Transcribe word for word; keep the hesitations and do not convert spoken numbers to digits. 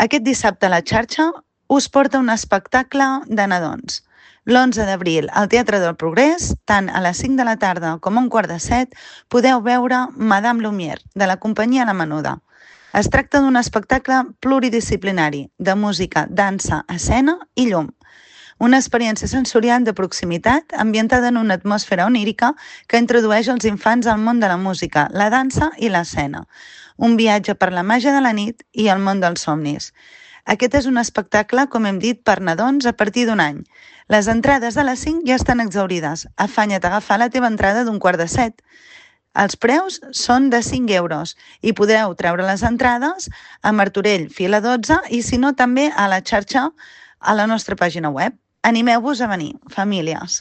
Aquest dissabte la xarxa us porta un espectacle de nadons. L'onze d'abril, al Teatre del Progrés, tant a les cinc de la tarda com a un quart de set, podeu veure Madame Lumière, de la companyia La Menuda. Es tracta d'un espectacle pluridisciplinari, de música, dansa, escena i llum. Una experiència sensorial de proximitat ambientada en una atmosfera onírica que introdueix els infants al món de la música, la dansa i l'escena. Un viatge per la màgia de la nit i el món dels somnis. Aquest és un espectacle, com hem dit, per nadons a partir d'un any. Les entrades de les cinc ja estan exaurides. Afanya't a agafar la teva entrada d'un quart de set. Els preus són de cinc euros i podreu treure les entrades a Martorell, fila dotze, i si no també a la xarxa a la nostra pàgina web. Animeu-vos a venir, famílies.